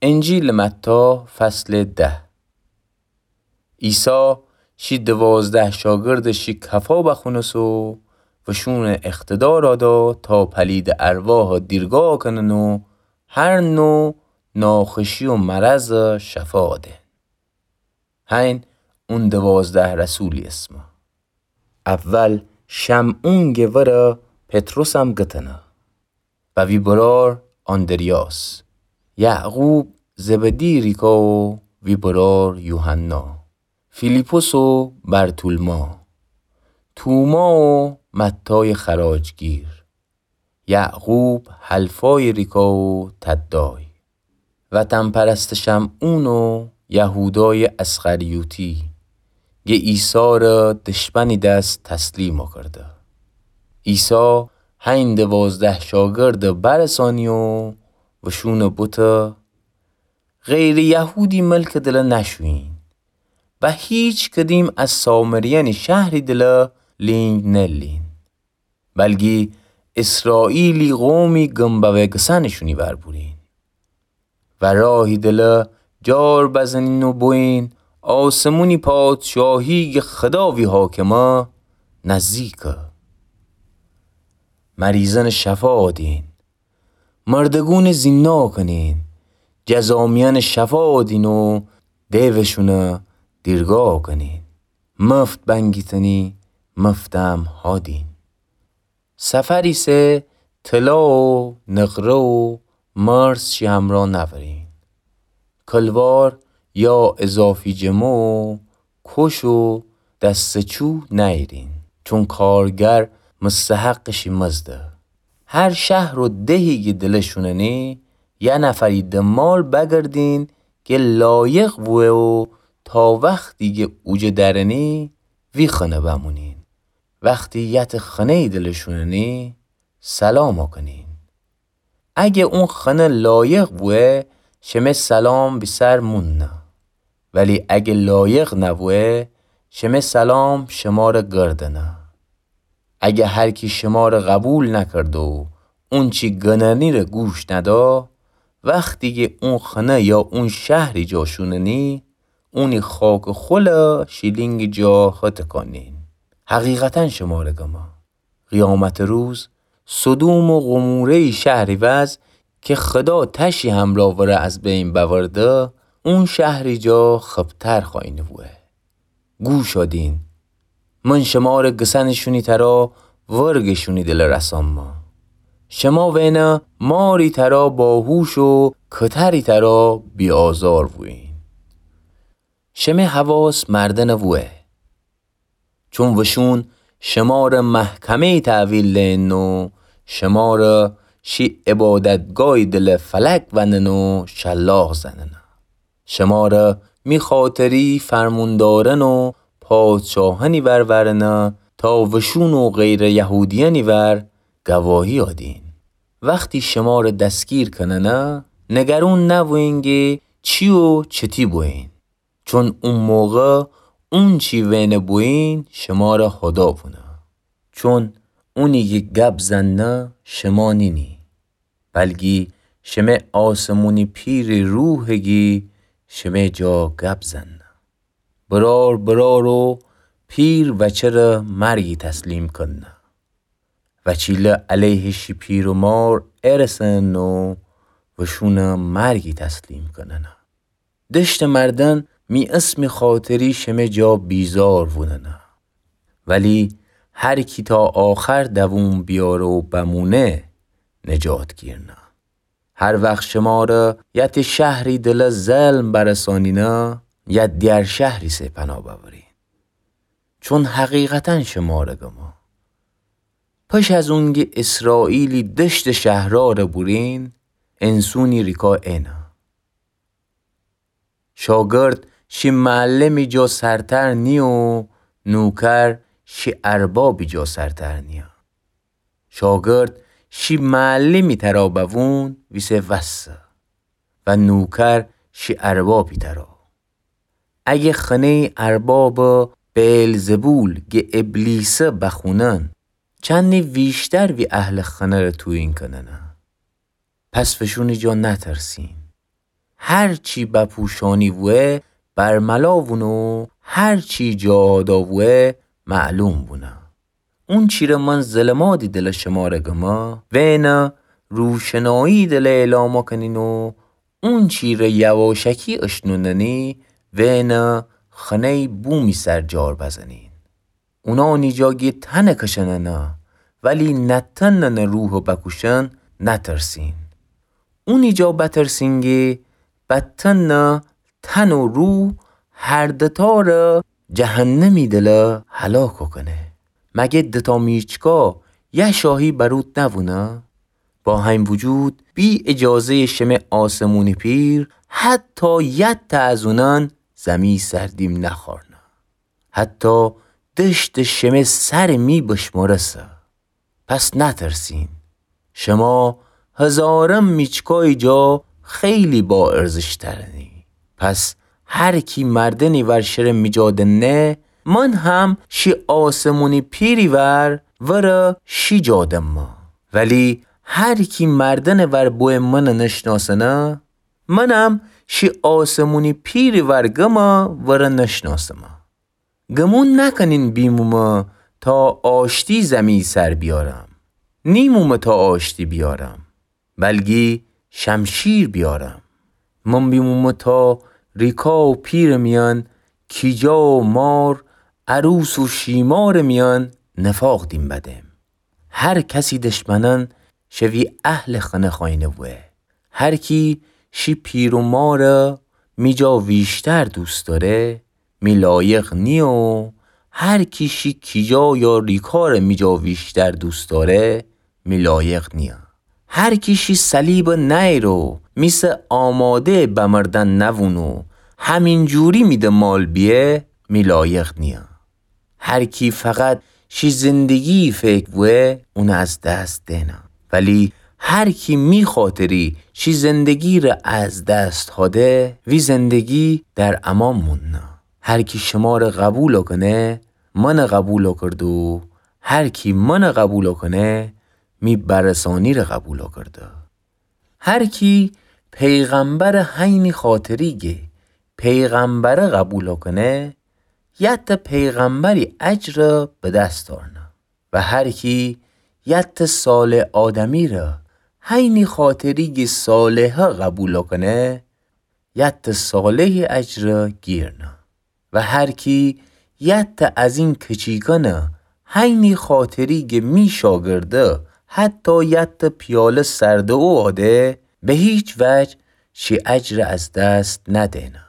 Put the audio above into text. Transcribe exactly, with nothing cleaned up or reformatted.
انجیلٚ متی، فصلٚ ده. عیسی شی دوازده شاگردٚ شی کفا بخونسو و وشونٚ اقتدارَ دا تا پلیدٚ ارواحَ دیرگاه کنن و هر نوع ناخوشی و مرضَ شفا دئن. هین اون دوازده رسولی اسمه. اول شمعون گه وره پطرسم گتنه و وی برار آندریاس، یعقوب زبدی ریکا و وی برار یوحنا، فیلیپس و برتولما، توما و متای خراجگیر، یعقوب حلفای ریکا و تدای، وطن‌پرستٚ شمعون و یهودای اسخریوطی، گه عیسی ره دشمنی دس تسلیم کرده. عیسی هین دوازده شاگرد برسانی و وشون بوته، غیرٚ یهودی ملکٚ دله نشویین و هیچ کدیم از سامریأنی شهری دله لینگ نلین. بلگی اسرائیلی قومی گمبوه گسنٚ شونی ور بورین و راهی دله جار بزنین و بویین، آسمونی پادشاهی گه خدا وی حاکمه نزدیکه. مریضأنٚ شفا دین، مردگونٚ زیندا کنین، جذامیأنٚ شفا دین و دیوشونه دیرگاه کنین. مفت بنگیتنی، مفتم هادین. سفری سه طلا و نقره و مرس شی همرا نورین. کلوار یا اضافی جمه و کش و دسته‌چو نیرین، چون کارگر مستحقٚ شی مزده. هر شهر و دهی گه دله شوننی، یه نفری ده مال بگردین گه لایق بوه و تا وختی گه اوجه درنی وی خنه بمونین. وختی یتٚ خنه‌یی دله شوننی، سلام کنین. اگه اون خنه لایق بوه، شمه سلام وی سر موننه. ولی اگه لایق نبوه، شمه سلام شماره گردنه. اگه هر کی شماره قبول نکرده و اونچی گننی ره گوش ندا، وختی گه اون خنه یا اون شهری جا شوننی، اونی خاکٚ خوله شیلینگٚ جا هتکانین. حقیقتا شماره گمه، قیامتٚ روز سدوم و قموره‌یی شهری وز که خدا تشی همرا وره از بین بأورده، اون شهری جا خبتر خوأینه بوه. گوش دین، من شماره گسنٚ شونی ترا ورگٚ شونی دله رسانمه. شما وئنه ماری ترا باهوش و کتری ترا بی‌آزار بویین. شمه حواس مردنٚ بوه. چون وشون شماره محکمه‌یی تحویل دئن و شماره شی عبادتگاهی دله فلک ونن و شلاق زننه. شماره می خاطری فرموندارن و پادشاهأنی ور ورنه تا وشون و غیرٚ یهودیأنی ور گواهی آدین. وختی شماره دستگیر کننه، نگرون نبویین گه چی و چتی بویین. چون او موقع اونچی وئنه بویین شماره هدا بونه. چون اونی کی گب زنه شما نینی، بلکی شمه آسمونی پیری روحه کی شمه جا گب زنه. برار برارو پیر وچه ره مرگی تسلیم کنه. وچیله علیه شی پیر و مار ارسن و وشونه مرگی تسلیم کننه. دشته مردن می اسمی خاطری شمه جا بیزار ووننه. ولی هر کی تا آخر دووم بیاره و بمونه، نجات گیرنه. هر وخت شماره یه ته شهری دله ظلم برسانینه، یه دیگر شهری سه پناه ببرین. چون حقیقتا شماره گمه، پش از اونگی اسرائیلی دشته شهراره بورین، انسونی ریکا اینه. شاگرد شی معلمی جا سرتر نیه و نوکر شی اربابی جا سرتر نیه. شاگرد شی معلمی ترا بوون ویسه وسه و نوکر شی اربابی ترا. اگه خنه‌ی اربابٚ بئلزبول گه ابلیسه بخونن، چندی ویشتر وی اهلٚ خنه ره تویین کننه. پس وشونی جا نترسین. هر چی بپوشانی وه برملا وونو، هر چی جا آدا وه معلوم وونه. اونچی ره من ظلمادی دلٚ شمره گمه، وئنه روشنایی دلٚ اعلام کنین و اونچی ره یواشکی اشنوننی، وئنه خنه‌یٚ بومی سر جار بزنین. اونانی جا گی تنه کشننه، ولی نتننه روحٚ بکوشن نترسین. اونی جا بترسین گی بتنه تن و روح هر دتاره جهنمی دله هلاک کنه. مگه دتا میچکا یه شاهی بروت نوونه؟ با همین وجود بی اجازه‌یٚ شمه آسمونی پیر حتی یه تا از اونان زمی سر دیم نخارنه. حتی دشتٚ شمه سر می بشمرسه. پس نترسین. شما هزاران میچکای جا خیلی با ارزش‌ترنی. پس هر کی مردنی ور شره می جا دنه، من هم شی آسمونی پیری ور وره شی جا دمه. ولی هر کی مردنٚ ور بوی منه نشناسنه، منم شی آسمونی پیری ور گمه وره نشناسمه. گمون نکنین بیمومه تا آشتی زمی سر بیارم. نیمومه تا آشتی بیارم، بلگی شمشیر بیارم. من بیمومه تا ریکا و پیرٚ میان، کیجا و مار، عروس و شیمارٚ میان نفاق دیم بدم. هر کسی دشمنان شوی اهلٚ خنه خواینه وه. هر کی شی پیر و ماره می جا ویشتر دوست داره، می لایق نیه و هر کی شی کیجا یا ریکاره می جا ویشتر دوست داره، می لایق نیه. هر کی شی صلیبه نأیره و می سه آماده بمردن نوونه و همینجوری می دنبال بیه، می لایق نیه. هر کی فقط شی زندگی فکر وه، اونه از دست دئنه. ولی هر کی می خاطری شی زندگی ره از دست هاده، وی زندگی در امان موننه. هر کی شماره قبول کنه، منه قبول کرده و هر کی منه قبول کنه، می برسانی ره قبول کرده. هر کی پیغمبره حینی خاطری گه پیغمبره قبول کنه، یه ته پیغمبری اجر به دست آرنه. و هر کی یه ته صالح آدمی ره حینی خاطری گه صالحه قبول کنه، یه ته صالحی اجر گیرنه. و هر کی یه ته از این کچیکانه حینی خاطری گه می شاگرده حتی یه ته پیاله سرده او آده، به هیچ وجه شی اجر از دست ندئنه.